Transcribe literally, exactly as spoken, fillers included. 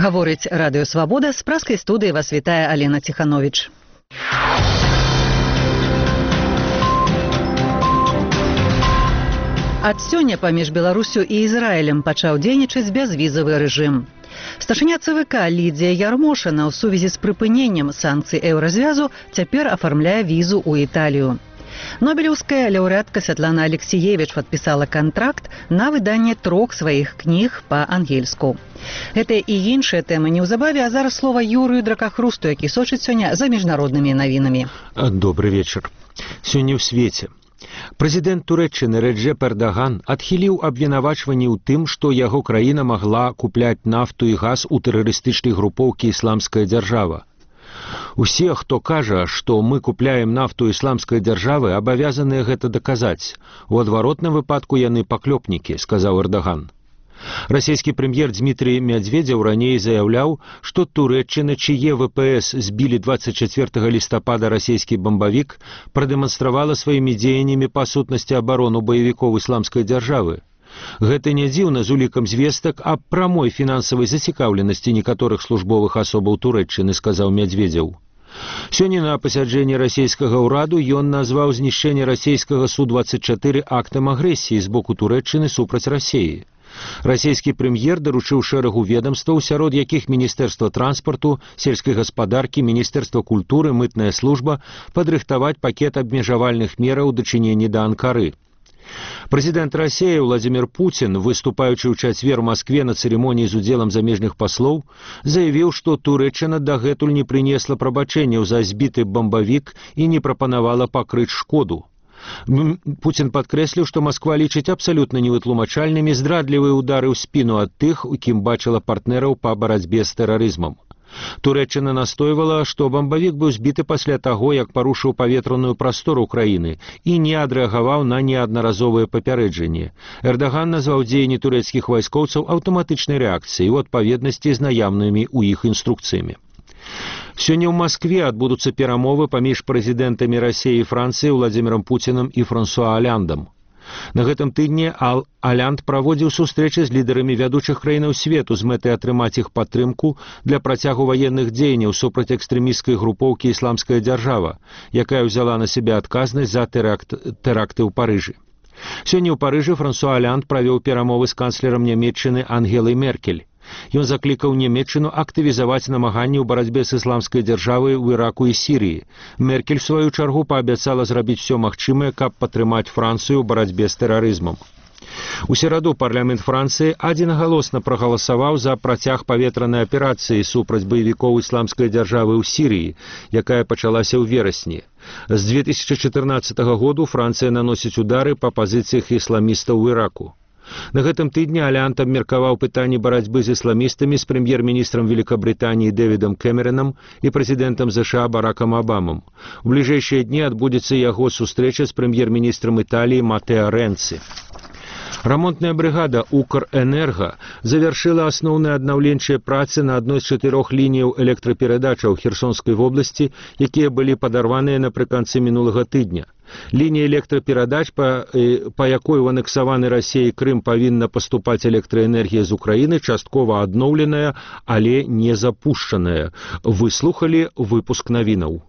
Гаворыць радыё «Свабода», з праскай студыі вас вітае Алена Ціхановіч. Ад сёння паміж Беларусю і Ізраілем пачаў дзейнічаць бязвізавы рэжым. Старшыня ЦВК Лідзія Ярмошына ў сувязі з прыпыненнем санкцый еўразвязу цяпер афармляе візу ў Італію. Нобелеўская лаўрэатка Святлана Алексіевіч падпісала кантракт на выданне трох сваіх кніг па-ангельску. Гэтыя і іншыя тэмы неўзабаве, а зараз слова Юрыю Дракахрусту, які сочыць сёння за міжнароднымі навінамі. Добры вечар. Сёння ў свеце. Прэзідэнт Турэччыны Рэджэп Эрдаган адхіліў абвінавачванні ў тым, што яго краіна магла купляць нафту і газ у тэрарыстычнай групоўкі «Ісламская дзяржава». Усе, хто кажа, што мы купляем нафту ісламскай дзяржавы, абавязаныя гэта даказаць. У адваротным выпадку яны паклёпнікі, сказаў Эрдаган. Расійскі прэм'ер Дмітрий Медведзеў раней заяўляў, што Турэччына, чые ВПС збілі дваццаць чацвёртага лістапада расійскі бамбавік, прадэманстравала сваімі дзеяннямі па сутнасці абарону баевікоў ісламскай дзяржавы. Гэта не дзіўна з улікам звестак аб прамой фінансавай зацікаўленасці некаторых службовых асобаў Турэччыны, сказаў Медведзеў. Сёння на пасяджэнні расійскага ўраду ён назваў знішчэнне расійскага Су дваццаць чатыры актам агрэсіі з боку Турэччыны супраць Расіі. Расійскі прэм'ер даручыў шэрагу ведамстваў, сярод якіх Міністэрства транспарту, сельскай гаспадаркі, Міністэрства культуры, мытная служба, падрыхтаваць пакет абмежавальных мераў у дачыненні да Анкары. Прэзідэнт Расіі Владзімір Пуцін, выступаючы ў чацвер у Маскве на цырымоніі з удзелам замежных паслоў, заявіў, што Турэччына дагэтуль не прынесла прабачэнняў за збіты бамбавік і не прапанавала пакрыць шкоду. Пуцін падкрэсліў, што Масква лічыць абсалютна невытлумачальнымі здрадлівыя ўдары ў спіну ад тых, у кім бачыла партнераў па барацьбе з тэрарызмам. Турэччына настойвала, што бамбавік быў збіты пасля таго, як парушыў паветраную прастору краіны і не адрэагаваў на неаднаразовыя папярэджанні. Эрдаган назваў дзеянні турэцкіх вайскоўцаў аўтаматычнай рэакцыяй у адпаведнасці з наяўнымі ў іх інструкцыямі. Сёння ў Маскве адбудуцца перамовы паміж прэзідэнтамі Расіі і Францыі Владзімірам Пуцінам і Франсуа Аляндам. На гэтым тыдні Ал Алянд праводзіў сустрэчы з лідарамі вядучых краінаў свету з мэтай атрымаць іх падтрымку для працягу ваенных дзеянняў супраць экстрэмісцкай групоўкі «Ісламская дзяржава», якая ўзяла на сябе адказнасць за тэракт, тэракты ў Парыжы. Сёння ў Парыжы Франсуа Алянд правёў перамовы з канцлерам Нямецчыны Ангелай Меркель. Ён заклікаў Нямецчыну актывізаваць намаганні ў барацьбе з ісламскай дзяржавай у Іраку і Сірыі. Меркель, в сваю чаргу, паабяцала зрабіць усё магчымае, каб падтрымаць Францыю ў барацьбе з тэрарызмам. У сераду парламент Францыі адзінагалосна прагаласаваў за працяг паветранай аперацыі супраць баевікоў ісламскай дзяржавы ў Сірыі, якая пачалася ў верасні. З две тысячы чатырнаццатага году Францыя наносіць удары па пазіцыях ісламістаў у Іраку. На гэтым тыдні Алянд абмеркаваў пытанні барацьбы з ісламістамі з прэм'ер-міністрам Великабрытаніі Дэвідам Кэмеранам і прэзідэнтам ЗША Баракам Абамам. У бліжэйшыя дні адбудзецца яго сустрэча з прэм'ер-міністрам Італіі Матэа Рэнцы. Рамонтная брыгада «Укрэнерга» завяршыла асноўныя аднаўленчыя працы на адной з чатырох лініяў электраперадачаў Херсонскай вобласці, якія былі падарваныя напрыканцы мінулага тыдня. Лінія электраперадач, па, па якой у анексаваны Расіяй Крым павінна паступаць электраэнергія з Украіны, часткова адноўленая, але не запушчаная. Выслухалі выпуск навінаў.